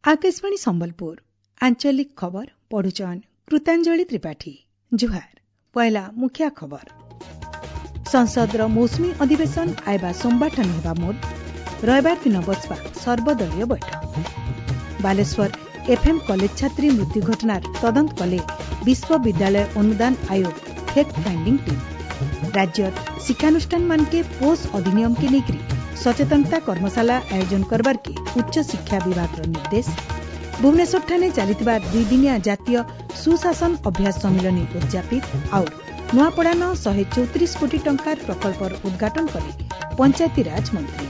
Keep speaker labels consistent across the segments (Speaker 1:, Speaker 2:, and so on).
Speaker 1: ଆକାଶବାଣୀ ସମ୍ବଲପୁର ଆଞ୍ଚଳିକ ଖବର ପଢୁଛନ୍ କୃତାଞ୍ଜଳି ତ୍ରିପାଠୀ। ଜୁହାର। ପହିଲା ମୁଖିଆ ଖବର। ସଂସଦର ମୌସୁମୀ ଅଧିବେଶନ ଆଇବା ସୋମବାରଠାନୁ ହେବା ମୋଟ। ରବିବାର ଦିନ ବସବା ସର୍ବଦଳୀୟ ବୈଠକ। ବାଲେଶ୍ୱର ଏଫ୍ଏମ୍ କଲେଜ ଛାତ୍ରୀ ମୃତ୍ୟୁ ଘଟଣାର ତଦନ୍ତ କଲେ ବିଶ୍ୱବିଦ୍ୟାଳୟ ଅନୁଦାନ ଆୟୋଗ ଫ୍ୟାକ୍ଟ ଫାଇଣ୍ଡିଂ ଟିମ୍। ରାଜ୍ୟର ଶିକ୍ଷାନୁଷ୍ଠାନମାନକେ ପୋଷ୍ ଅଧିନିୟମକେ ନେଇକରି ସଚେତନତା କର୍ମଶାଳା ଆୟୋଜନ କରବାର୍କେ ଉଚ୍ଚଶିକ୍ଷା ବିଭାଗର ନିର୍ଦ୍ଦେଶ। ଭୁବନେଶ୍ୱରଠାରେ ଚାଲିଥିବା ଦୁଇଦିନିଆ ଜାତୀୟ ସୁଶାସନ ଅଭ୍ୟାସ ସମ୍ମିଳନୀ ଉଦ୍ଯାପିତ। ଆଉ ନୂଆପଡ଼ାନ 134 କୋଟି ଟଙ୍କାର ପ୍ରକଳ୍ପର ଉଦ୍ଘାଟନ କଲେ ପଞ୍ଚାୟତିରାଜ ମନ୍ତ୍ରୀ।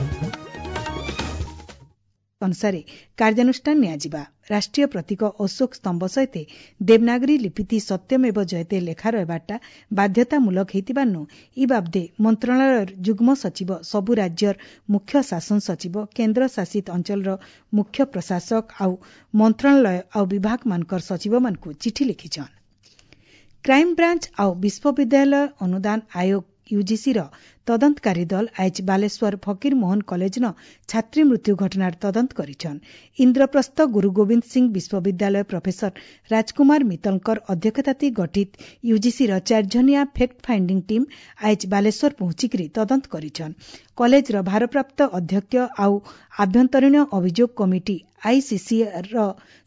Speaker 1: ଅନୁସାରେ କାର୍ଯ୍ୟାନୁଷ୍ଠାନ ନିଆଯିବା। ରାଷ୍ଟ୍ରୀୟ ପ୍ରତୀକ ଅଶୋକ ସ୍ତମ୍ଭ ସହିତ ଦେବନାଗରୀ ଲିପିଥି ସତ୍ୟମେବ ଜୟତେ ଲେଖା ରହିବାଟା ବାଧ୍ୟତାମୂଳକ ହେଇଥିବାରନୁ ଇ ବାବଦେ ମନ୍ତ୍ରଣାଳୟର ଯୁଗ୍ମ ସଚିବ ସବୁ ରାଜ୍ୟର ମୁଖ୍ୟ ଶାସନ ସଚିବ, କେନ୍ଦ୍ର ଶାସିତ ଅଞ୍ଚଳର ମୁଖ୍ୟ ପ୍ରଶାସକ ଆଉ ମନ୍ତ୍ରଣାଳୟ ଆଉ ବିଭାଗମାନଙ୍କର ସଚିବମାନଙ୍କୁ ଚିଠି ଲେଖିଛନ୍। କ୍ରାଇମବ୍ରାଞ୍ଚ ଆଉ ବିଶ୍ୱବିଦ୍ୟାଳୟ ଅନୁଦାନ ଆୟୋଗ ୟୁଜିସିର ତଦନ୍ତକାରୀ ଦଳ ଆଇଜ୍ ବାଲେଶ୍ୱର ଫକୀରମୋହନ କଲେଜନ ଛାତ୍ରୀ ମୃତ୍ୟୁ ଘଟଣାର ତଦନ୍ତ କରିଛନ୍। ଇନ୍ଦ୍ରପ୍ରସ୍ଥ ଗୁରୁ ଗୋବିନ୍ଦ ସିଂ ବିଶ୍ୱବିଦ୍ୟାଳୟ ପ୍ରଫେସର ରାଜକୁମାର ମିତ୍ତଲଙ୍କର ଅଧ୍ୟକ୍ଷତାତି ଗଠିତ ୟୁଜିସିର ଚାରିଜଣିଆ ଫ୍ୟାକ୍ଟ ଫାଇଣ୍ଡିଂ ଟିମ୍ ଆଇଜ୍ ବାଲେଶ୍ୱର ପହଞ୍ଚିକରି ତଦନ୍ତ କରିଛନ୍। କଲେଜର ଭାରପ୍ରାପ୍ତ ଅଧ୍ୟକ୍ଷ ଆଉ ଆଭ୍ୟନ୍ତରୀଣ ଅଭିଯୋଗ କମିଟି ଆଇସିସିର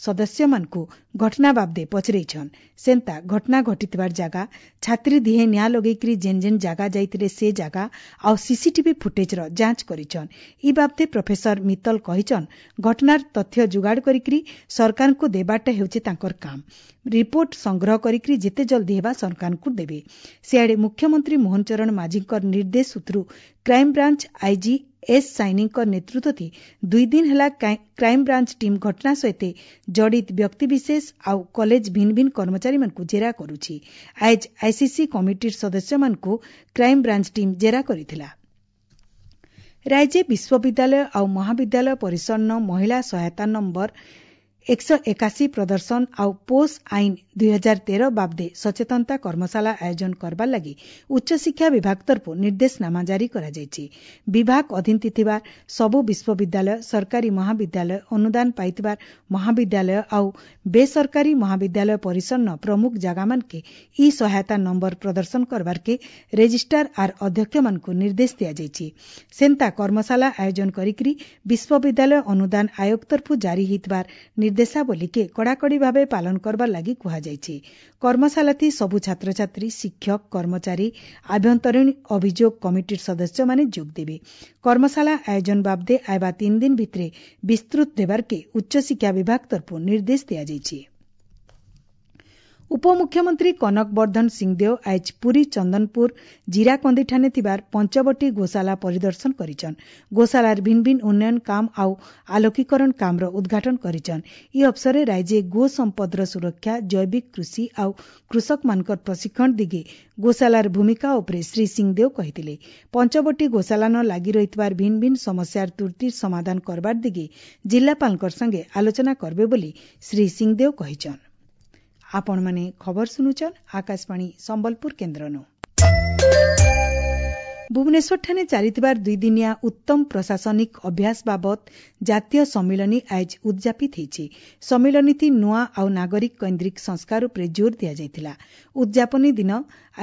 Speaker 1: ସଦସ୍ୟମାନଙ୍କୁ ଘଟଣା ବାବଦେ ପଚରେଇଛନ୍। ସେନ୍ତା ଘଟଣା ଘଟିଥିବାର ଜାଗା, ଛାତ୍ରୀ ଦିହେଁ ନିଆଁ ଲଗେଇକରି ଯେନ୍ ଯେନ୍ ଜାଗା ଯାଇଥିଲେ ସେ ଜାଗା ଆଉ ସିସିଟିଭି ଫୁଟେଜର ଯାଞ୍ଚ କରିଛନ୍। ଇ ବାବଦେ ପ୍ରଫେସର ମିତ୍ତଲ କହିଛନ୍, ଘଟଣାର ତଥ୍ୟ ଯୋଗାଡ଼ କରିକରି ସରକାରଙ୍କୁ ଦେବାଟା ହେଉଛି ତାଙ୍କର କାମ। ରିପୋର୍ଟ ସଂଗ୍ରହ କରିକରି ଯେତେ ଜଲ୍ଦି ହେବା ସରକାରଙ୍କୁ ଦେବେ। ସିଆଡ଼େ ମୁଖ୍ୟମନ୍ତ୍ରୀ ମୋହନ ଚରଣ ମାଝୀଙ୍କର ନିର୍ଦ୍ଦେଶ ସୂତ୍ରୁ କ୍ରାଇମବ୍ରାଞ୍ଚ ଆଇଜି ଏସ୍ ସାଇନିଙ୍କ ନେତୃତ୍ୱରେ 2 ଦିନ ହେଲା କ୍ରାଇମବ୍ରାଞ୍ଚ ଟିମ୍ ଘଟଣା ସହିତ ଜଡ଼ିତ ବ୍ୟକ୍ତିବିଶେଷ ଆଉ କଲେଜ ଭିନ୍ନ ଭିନ୍ନ କର୍ମଚାରୀମାନଙ୍କୁ ଜେରା କରୁଛି। ଆଇଜ୍ ଆଇସିସି କମିଟିର ସଦସ୍ୟମାନଙ୍କୁ କ୍ରାଇମବ୍ରାଞ୍ଚ ଟିମ୍ ଜେରା କରିଥିଲା। ରାଜ୍ୟ ବିଶ୍ୱବିଦ୍ୟାଳୟ ଆଉ ମହାବିଦ୍ୟାଳୟ ପରିସରନ ମହିଳା ସହାୟତା ନମ୍ବର 181 ପ୍ରଦର୍ଶନ ଆଉ ପୋଷ୍ ଆଇନ 2013 ବାବଦେ ସଚେତନତା କର୍ମଶାଳା ଆୟୋଜନ କରବାର ଲାଗି ଉଚ୍ଚଶିକ୍ଷା ବିଭାଗ ତରଫରୁ ନିର୍ଦ୍ଦେଶନାମା ଜାରି କରାଯାଇଛି। ବିଭାଗ ଅଧୀନ ଥିବା ସବୁ ବିଶ୍ୱବିଦ୍ୟାଳୟ, ସରକାରୀ ମହାବିଦ୍ୟାଳୟ, ଅନୁଦାନ ପାଇଥିବା ମହାବିଦ୍ୟାଳୟ ଆଉ ବେସରକାରୀ ମହାବିଦ୍ୟାଳୟ ପରିସରନ ପ୍ରମୁଖ ଜାଗାମାନକେ ଇ ସହାୟତା ନମ୍ବର ପ୍ରଦର୍ଶନ କରବାର୍କେ ରେଜିଷ୍ଟ୍ରାର ଆର୍ ଅଧ୍ୟକ୍ଷମାନଙ୍କୁ ନିର୍ଦ୍ଦେଶ ଦିଆଯାଇଛି। ସେନ୍ତା କର୍ମଶାଳା ଆୟୋଜନ କରିକରି ବିଶ୍ୱବିଦ୍ୟାଳୟ ଅନୁଦାନ ଆୟୋଗ ତରଫରୁ ଜାରି ହେଇଥିବାର ନିର୍ଦ୍ଦେଶାବଳୀକେ କଡ଼ାକଡ଼ି ଭାବେ ପାଳନ କରବାର ଲାଗି କୁହାଯାଇଛି। କର୍ମଶାଳାଥି ସବୁ ଛାତ୍ରଛାତ୍ରୀ, ଶିକ୍ଷକ, କର୍ମଚାରୀ, ଆଭ୍ୟନ୍ତରୀଣ ଅଭିଯୋଗ କମିଟିର ସଦସ୍ୟମାନେ ଯୋଗ ଦେବେ। କର୍ମଶାଳା ଆୟୋଜନ ବାବଦେ ଆଇବା 3 ଦିନ ଭିତରେ ବିସ୍ତୃତ ଦେବାର୍କେ ଉଚ୍ଚଶିକ୍ଷା ବିଭାଗ ତରଫରୁ ନିର୍ଦ୍ଦେଶ ଦିଆଯାଇଛି। ଉପମୁଖ୍ୟମନ୍ତ୍ରୀ କନକ ବର୍ଦ୍ଧନ ସିଂଦେଓ ଆଇଜ୍ ପୁରୀ ଚନ୍ଦନପୁର ଜିରାକନ୍ଦିଠାନେ ଥିବାର ପଞ୍ଚବଟୀ ଗୋଶାଲା ପରିଦର୍ଶନ କରିଛନ୍। ଗୋଶାଲାର ଭିନ୍ନ ଭିନ୍ନ ଉନ୍ନୟନ କାମ ଆଉ ଆଲୋକୀକରଣ କାମର ଉଦ୍ଘାଟନ କରିଛନ୍। ଇ ଅବସରରେ ରାଜ୍ୟ ଗୋ ସମ୍ପଦର ସୁରକ୍ଷା, ଜୈବିକ କୃଷି ଆଉ କୃଷକମାନଙ୍କର ପ୍ରଶିକ୍ଷଣ ଦିଗେ ଗୋଶାଲାର ଭୂମିକା ଉପରେ ଶ୍ରୀ ସିଂଦେଓ କହିଥିଲେ। ପଞ୍ଚବଟୀ ଗୋଶାଲାନ ଲାଗି ରହିଥିବାର ଭିନ୍ନ ଭିନ୍ନ ସମସ୍ୟାର ତୁର୍ତି ସମାଧାନ କରବାର ଦିଗେ ଜିଲ୍ଲାପାଳଙ୍କର ସାଙ୍ଗେ ଆଲୋଚନା କରବେ ବୋଲି ଶ୍ରୀ ସିଂଦେଓ କହିଛନ୍। ଆପଣମାନେ ଖବର ଶୁଣୁଛନ୍ ଆକାଶବାଣୀ ସମ୍ବଲପୁର କେନ୍ଦ୍ରନୁ। ଭୁବନେଶ୍ୱରଠାରେ ଚାଲିଥିବାର ଦୁଇଦିନିଆ ଉତ୍ତମ ପ୍ରଶାସନିକ ଅଭ୍ୟାସ ବାବଦ ଜାତୀୟ ସମ୍ମିଳନୀ ଆଇଜ୍ ଉଦ୍ଯାପିତ ହେଇଛି। ସମ୍ମିଳନୀଥି ନୂଆ ଆଉ ନାଗରିକ କୈନ୍ଦ୍ରିକ ସଂସ୍କାର ଉପରେ ଜୋର ଦିଆଯାଇଥିଲା। ଉଦ୍ଯାପନୀ ଦିନ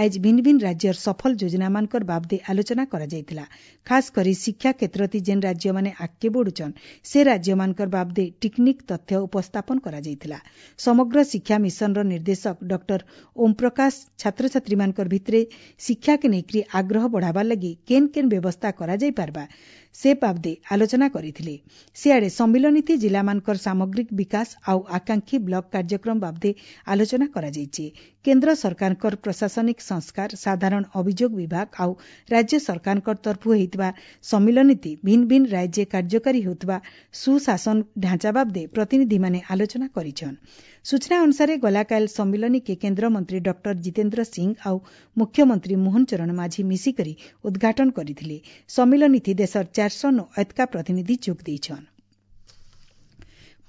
Speaker 1: ଆଇଜ୍ ଭିନ୍ନ ଭିନ୍ନ ରାଜ୍ୟର ସଫଳ ଯୋଜନାମାନଙ୍କର ବାବଦେ ଆଲୋଚନା କରାଯାଇଥିଲା। ଖାସ୍ କରି ଶିକ୍ଷା କ୍ଷେତ୍ରଥି ଯେନ୍ ରାଜ୍ୟମାନେ ଆଗକେ ବଢୁଛନ୍ ସେ ରାଜ୍ୟମାନଙ୍କର ବାବଦେ ଟିକ୍ନିକ୍ ତଥ୍ୟ ଉପସ୍ଥାପନ କରାଯାଇଥିଲା। ସମଗ୍ର ଶିକ୍ଷା ମିଶନର ନିର୍ଦ୍ଦେଶକ ଡକ୍ଟର ଓମ୍ ପ୍ରକାଶ ଛାତ୍ରଛାତ୍ରୀମାନଙ୍କର ଭିତରେ ଶିକ୍ଷାକେ ନେଇକରି ଆଗ୍ରହ ବଢ଼ାବାର ଲାଗି କେନ୍ କେନ୍ ବ୍ୟବସ୍ଥା କରାଯାଇ ପାରବା ସେ ବାବଦେ ଆଲୋଚନା କରିଥିଲେ। ସିଆଡ଼େ ସମ୍ମିଳନୀଥି ଜିଲ୍ଲାମାନଙ୍କର ସାମଗ୍ରିକ ବିକାଶ ଆଉ ଆକାଂକ୍ଷୀ ବ୍ଲକ କାର୍ଯ୍ୟକ୍ରମ ବାବଦେ ଆଲୋଚନା କରାଯାଇଛି। କେନ୍ଦ୍ର ସରକାରଙ୍କର ପ୍ରଶାସନିକ ସଂସ୍କାର, ସାଧାରଣ ଅଭିଯୋଗ ବିଭାଗ ଆଉ ରାଜ୍ୟ ସରକାରଙ୍କ ତରଫରୁ ହେଇଥିବା ସମ୍ମିଳନୀଥି ଭିନ୍ନ ଭିନ୍ନ ରାଜ୍ୟ କାର୍ଯ୍ୟକାରୀ ହେଉଥିବା ସୁଶାସନ ଢାଞ୍ଚା ବାବଦେ ପ୍ରତିନିଧିମାନେ ଆଲୋଚନା କରିଛନ୍। ସୂଚନା ଅନୁସାରେ ଗଲାକାଲ ସମ୍ମିଳନୀକେ କେନ୍ଦ୍ରମନ୍ତ୍ରୀ ଡକ୍ଟର ଜିତେନ୍ଦ୍ର ସିଂ ଆଉ ମୁଖ୍ୟମନ୍ତ୍ରୀ ମୋହନ ଚରଣ ମାଝୀ ମିଶିକରି ଉଦ୍ଘାଟନ କରିଥିଲେ। ସମ୍ମିଳନୀଥି ଦେଶର 400 ଏତକା ପ୍ରତିନିଧି ଯୋଗ ଦେଇଛନ୍।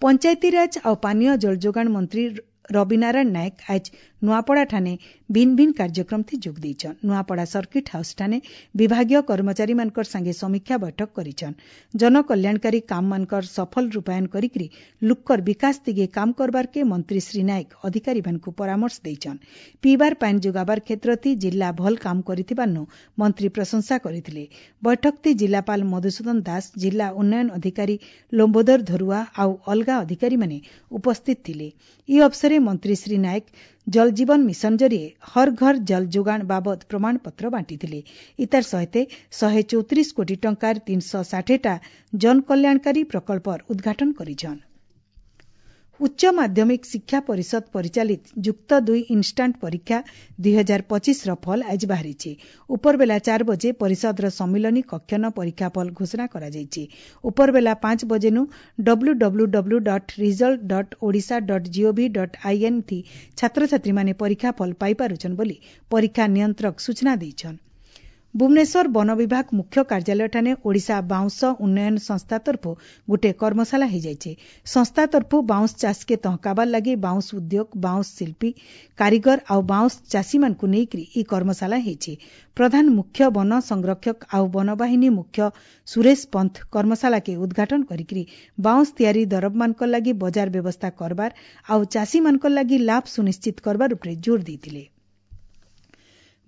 Speaker 1: ପଞ୍ଚାୟତିରାଜ ଆଉ ପାନୀୟ ଜଳଯୋଗାଣ ମନ୍ତ୍ରୀ ରବିନାରାୟଣ ନାୟକ ଆଜ ନୂଆପଡ଼ା ଠାନେ ଭିନ୍ ଭିନ୍ କାର୍ଯ୍ୟକ୍ରମ ଥି ଯୋଗ ଦେଇଛନ୍। ନୂଆପଡ଼ା ସର୍କିଟ ହାଉସ୍ ଠାନେ ବିଭାଗୀୟ କର୍ମଚାରୀମାନଙ୍କର ସାଙ୍ଗେ ସମୀକ୍ଷା ବୈଠକ କରିଛନ୍। ଜନକଲ୍ୟାଣକାରୀ କାମମାନଙ୍କର ସଫଳ ରୂପାୟନ କରିକରି ଲୁକ୍କର ବିକାଶ ଦିଗେ କାମ କରବାରକେ ମନ୍ତ୍ରୀ ଶ୍ରୀ ନାୟକ ଅଧିକାରୀମାନଙ୍କୁ ପରାମର୍ଶ ଦେଇଛନ୍। ପିଇବାର ପାଏନ୍ ଯୋଗାବାର କ୍ଷେତ୍ରଥି ଜିଲ୍ଲା ଭଲ କାମ କରିଥିବାରନୁ ମନ୍ତ୍ରୀ ପ୍ରଶଂସା କରିଥିଲେ। ବୈଠକଥି ଜିଲ୍ଲାପାଳ ମଧୁସୂଦନ ଦାସ, ଜିଲ୍ଲା ଉନ୍ନୟନ ଅଧିକାରୀ ଲମ୍ବୋଦର ଧରୁଆ ଆଉ ଅଲଗା ଅଧିକାରୀମାନେ ଉପସ୍ଥିତ ଥିଲେ। ଇ ଅବସରେ ମନ୍ତ୍ରୀ ଶ୍ରୀ ନାୟକ ଜଳ ଜୀବନ ମିଶନ ଜରିଏ ହର ଘର ଜଳ ଯୋଗାଣ ବାବଦ ପ୍ରମାଣପତ୍ର ବାଣ୍ଟିଥିଲେ। ଇତାର ସହିତ 134 କୋଟି ଟଙ୍କାର 360ଟା ଜନକଲ୍ୟାଣକାରୀ ପ୍ରକଳ୍ପର ଉଦ୍ଘାଟନ କରିଛନ୍। ଉଚ୍ଚ ମାଧ୍ୟମିକ ଶିକ୍ଷା ପରିଷଦ ପରିଚାଳିତ ଯୁକ୍ତ ଦୁଇ ଇନ୍ଷ୍ଟାଣ୍ଟ ପରୀକ୍ଷା 2025ର ଫଲ ଆଜି ବାହାରିଛି। ଉପରବେଲା 4 ବଜେ ପରିଷଦର ସମ୍ମିଳନୀ କକ୍ଷନ ପରୀକ୍ଷା ଫଲ ଘୋଷଣା କରାଯାଇଛି। ଉପରବେଲା 5 ବଜେନୁ W W W dot result dot Odisha dot gov dot in ଥି ଛାତ୍ରଛାତ୍ରୀମାନେ ପରୀକ୍ଷା ଫଲ ପାଇପାରୁଛନ୍ ବୋଲି ପରୀକ୍ଷା ନିୟନ୍ତ୍ରକ ସୂଚନା ଦେଇଛନ୍। ଭୁବନେଶ୍ୱର ବନ ବିଭାଗ ମୁଖ୍ୟ କାର୍ଯ୍ୟାଳୟଠାନେ ଓଡ଼ିଶା ବାଉଁଶ ଉନ୍ନୟନ ସଂସ୍ଥା ତରଫୁ ଗୋଟିଏ କର୍ମଶାଳା ହୋଇଯାଇଛି। ସଂସ୍ଥା ତରଫୁ ବାଉଁଶ ଚାଷକେ ତହକାବାର ଲାଗି ବାଉଁଶ ଉଦ୍ୟୋଗ, ବାଉଁଶ ଶିଳ୍ପୀ, କାରିଗର ଆଉ ବାଉଁଶ ଚାଷୀମାନଙ୍କୁ ନେଇକରି ଇ କର୍ମଶାଳା ହେଇଛି। ପ୍ରଧାନ ମୁଖ୍ୟ ବନ ସଂରକ୍ଷକ ଆଉ ବନବାହିନୀ ମୁଖ୍ୟ ସୁରେଶ ପନ୍ଥ କର୍ମଶାଳାକେ ଉଦ୍ଘାଟନ କରିକରି ବାଉଁଶ ତିଆରି ଦରବମାନଙ୍କର ଲାଗି ବଜାର ବ୍ୟବସ୍ଥା କରବାର ଆଉ ଚାଷୀମାନଙ୍କର ଲାଗି ଲାଭ ସୁନିଶ୍ଚିତ କରବାର ଉପରେ ଜୋର ଦେଇଥିଲେ।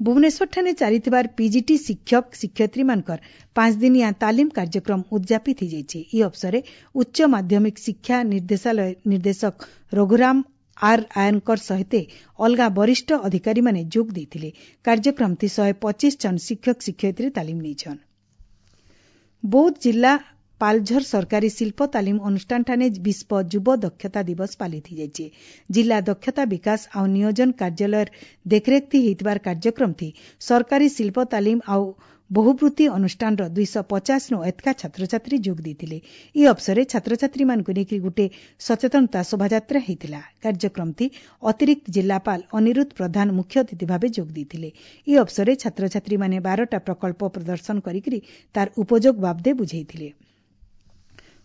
Speaker 1: ଭୁବନେଶ୍ୱରଠାରେ ଚାଲିଥିବାର ପିଜିଟି ଶିକ୍ଷକ ଶିକ୍ଷୟିତ୍ରୀମାନଙ୍କର 5 ଦିନିଆ ତାଲିମ କାର୍ଯ୍ୟକ୍ରମ ଉଦ୍ଯାପିତ ହୋଇଯାଇଛି। ଏହି ଅବସରରେ ଉଚ୍ଚ ମାଧ୍ୟମିକ ଶିକ୍ଷା ନିର୍ଦ୍ଦେଶାଳୟ ନିର୍ଦ୍ଦେଶକ ରଘୁରାମ ଆର୍ ଆୟନଙ୍କର ସହିତ ଅଲଗା ବରିଷ୍ଠ ଅଧିକାରୀମାନେ ଯୋଗ ଦେଇଥିଲେ। କାର୍ଯ୍ୟକ୍ରମଟି 125 ଜଣ ଶିକ୍ଷକ ଶିକ୍ଷୟିତ୍ରୀ ତାଲିମ ନେଇଛନ୍। ବୌଦ୍ଧ ଜିଲ୍ଲା ପାଲଝର ସରକାରୀ ଶିଳ୍ପ ତାଲିମ ଅନୁଷ୍ଠାନଠାରେ ବିଶ୍ୱ ଯୁବ ଦକ୍ଷତା ଦିବସ ପାଳିତ ହୋଇଯାଇଛି। ଜିଲ୍ଲା ଦକ୍ଷତା ବିକାଶ ଆଉ ନିୟୋଜନ କାର୍ଯ୍ୟାଳୟର ଦେଖରେଖ ହୋଇଥିବାର କାର୍ଯ୍ୟକ୍ରମଟି ସରକାରୀ ଶିଳ୍ପ ତାଲିମ ଆଉ ବହୁବୃତ୍ତି ଅନୁଷ୍ଠାନର 250ରୁ ଏତକା ଛାତ୍ରଛାତ୍ରୀ ଯୋଗ ଦେଇଥିଲେ। ଏହି ଅବସରରେ ଛାତ୍ରଛାତ୍ରୀମାନଙ୍କୁ ନେଇକରି ଗୋଟିଏ ସଚେତନତା ଶୋଭାଯାତ୍ରା ହୋଇଥିଲା। କାର୍ଯ୍ୟକ୍ରମଟି ଅତିରିକ୍ତ ଜିଲ୍ଲାପାଳ ଅନିରୁଦ୍ଧ ପ୍ରଧାନ ମୁଖ୍ୟ ଅତିଥି ଭାବେ ଯୋଗ ଦେଇଥିଲେ। ଏହି ଅବସରରେ ଛାତ୍ରଛାତ୍ରୀମାନେ 12ଟା ପ୍ରକଳ୍ପ ପ୍ରଦର୍ଶନ କରିକରି ତାର ଉପଯୋଗ ବାବଦେ ବୁଝାଇଥିଲେ।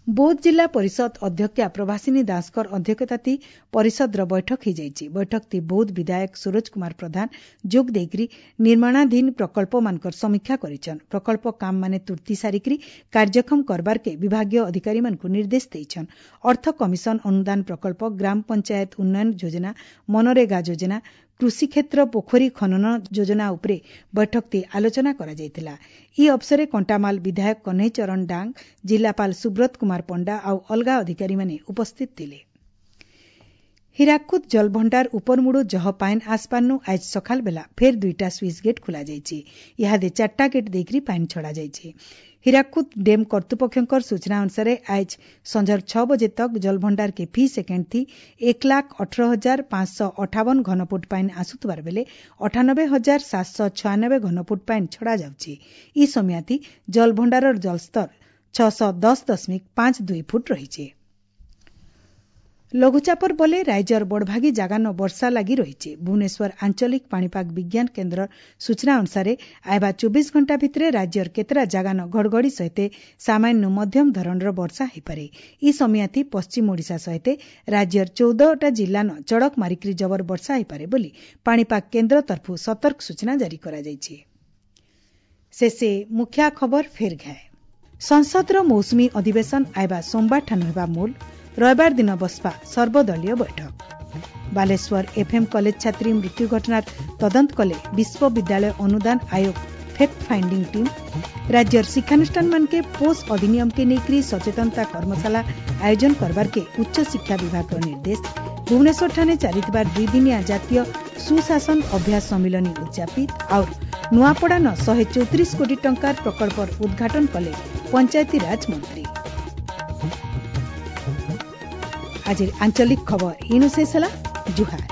Speaker 1: ବୌଦ୍ଧ ଜିଲ୍ଲା ପରିଷଦ ଅଧ୍ୟକ୍ଷା ପ୍ରଭାସିନୀ ଦାସଙ୍କର ଅଧ୍ୟକ୍ଷତାଥି ପରିଷଦର ବୈଠକ ହୋଇଯାଇଛି। ବୈଠକଟି ବୌଦ୍ଧ ବିଧାୟକ ସରୋଜ କୁମାର ପ୍ରଧାନ ଯୋଗ ଦେଇକରି ନିର୍ମାଣାଧୀନ ପ୍ରକଳ୍ପମାନଙ୍କର ସମୀକ୍ଷା କରିଛନ୍। ପ୍ରକଳ୍ପ କାମମାନେ ତୁର୍ତି ସାରିକରି କାର୍ଯ୍ୟକ୍ଷମ କରବାରକେ ବିଭାଗୀୟ ଅଧିକାରୀମାନଙ୍କୁ ନିର୍ଦ୍ଦେଶ ଦେଇଛନ୍। ଅର୍ଥ କମିଶନ ଅନୁଦାନ ପ୍ରକଳ୍ପ, ଗ୍ରାମ ପଞ୍ଚାୟତ ଉନ୍ନୟନ ଯୋଜନା, ମନରେଗା ଯୋଜନା, କୃଷିକ୍ଷେତ୍ର ପୋଖରୀ ଖନନ ଯୋଜନା ଉପରେ ବୈଠକଟି ଆଲୋଚନା କରାଯାଇଥିଲା। ଏହି ଅବସରରେ କଣ୍ଟାମାଲ ବିଧାୟକ କହ୍ନେଇ ଚରଣ ଡାଙ୍ଗ, ଜିଲ୍ଲାପାଳ ସୁବ୍ରତ କୁମାର ପଣ୍ଡା ଆଉ ଅଲଗା ଅଧିକାରୀମାନେ ଉପସ୍ଥିତ ଥିଲେ। ହୀରାକୁଦ ଜଳଭଣ୍ଡାର ଉପରମୁଡୁ ଜହ ପାଏନ୍ ଆସପାରନୁ ଆଜ ସକାଳ ବେଲା ଫେର୍ 2ଟା ସୁଇଚ୍ ଗେଟ୍ ଖୋଲାଯାଇଛି। ଇହାଦେ 4ଟା ଗେଟ୍ ଦେଇକରି ପାଏନ୍ ଛଡ଼ାଯାଇଛି। ହୀରାକୁଦ ଡ୍ୟାମ୍ କର୍ତ୍ତୃପକ୍ଷଙ୍କର ସୂଚନା ଅନୁସାରେ ଆଜ ସଞ୍ଜର 6 ବଜେ ତକ୍ ଜଳଭଣ୍ଡାର କେ ଫି ସେକେଣ୍ଡ ଥି 1,18,558 ଘନଫୁଟ ପାଏନ୍ ଆସୁଥିବାର ବେଲେ 98,796 ଘନଫୁଟ ପାଏନ୍ ଛଡ଼ାଯାଉଛି। ଇ ସମୟାଥି ଜଳଭଣ୍ଡାରର ଜଳସ୍ତର 610.52 ଫୁଟ ରହିଛି। ଲଘୁଚାପର ବଲେ ରାଜ୍ୟର ବଡ଼ଭାଗୀ ଜାଗାନ ବର୍ଷା ଲାଗି ରହିଛି। ଭୁବନେଶ୍ୱର ଆଞ୍ଚଳିକ ପାଣିପାଗ ବିଜ୍ଞାନ କେନ୍ଦ୍ରର ସୂଚନା ଅନୁସାରେ ଆଇବା 24 ଘଣ୍ଟା ଭିତରେ ରାଜ୍ୟର କେତେଟା ଜାଗାନ ଘଡ଼ଘଡ଼ି ସହିତ ସାମାନ୍ୟ ମଧ୍ୟମ ଧରଣର ବର୍ଷା ହୋଇପାରେ। ଇ ସମୟାଥି ପଶ୍ଚିମ ଓଡ଼ିଶା ସହିତ ରାଜ୍ୟର 14ଟା ଜିଲ୍ଲାନ ଚଡ଼କ ମାରିକରି ଜବର ବର୍ଷା ହୋଇପାରେ ବୋଲି ପାଣିପାଗ କେନ୍ଦ୍ର ତରଫରୁ ସତର୍କ ସୂଚନା ଜାରି କରାଯାଇଛି। ଶେଷେ ମୁଖ୍ୟ ଖବର ଫେର ଘାଏ। ସଂସଦର ମୌସୁମୀ ଅଧିବେଶନ ଆଇବା ସୋମବାରଠାନୁ ହେବା ମୂଳ, ରବିବାର ଦିନ ବସପା ସର୍ବଦଳୀୟ ବୈଠକ। ବାଲେଶ୍ୱର ଏଫ୍ଏମ୍ କଲେଜ ଛାତ୍ରୀ ମୃତ୍ୟୁ ଘଟଣାର ତଦନ୍ତ କଲେ ବିଶ୍ୱବିଦ୍ୟାଳୟ ଅନୁଦାନ ଆୟୋଗ ଫ୍ୟାକ୍ଟ ଫାଇଣ୍ଡିଂ ଟିମ୍। ରାଜ୍ୟର ଶିକ୍ଷାନୁଷ୍ଠାନମାନକେ ପୋଷ ଅଧିନିୟମକେ ନେଇକରି ସଚେତନତା କର୍ମଶାଳା ଆୟୋଜନ କରବାରକେ ଉଚ୍ଚଶିକ୍ଷା ବିଭାଗର ନିର୍ଦ୍ଦେଶ। ଭୁବନେଶ୍ୱରଠାରେ ଚାଲିଥିବା 2 ଦିନିଆ ଜାତୀୟ ସୁଶାସନ ଅଭ୍ୟାସ ସମ୍ମିଳନୀ ଉଦ୍ଯାପିତ। ଆଉ ନୂଆପଡ଼ାନ 134 କୋଟି ଟଙ୍କାର ପ୍ରକଳ୍ପର ଉଦ୍ଘାଟନ କଲେ ପଞ୍ଚାୟତିରାଜ ମନ୍ତ୍ରୀ। ଆଜିର ଆଞ୍ଚଳିକ ଖବର ଇନୁ ଶେଷ ହେଲା। ଜୁହାର।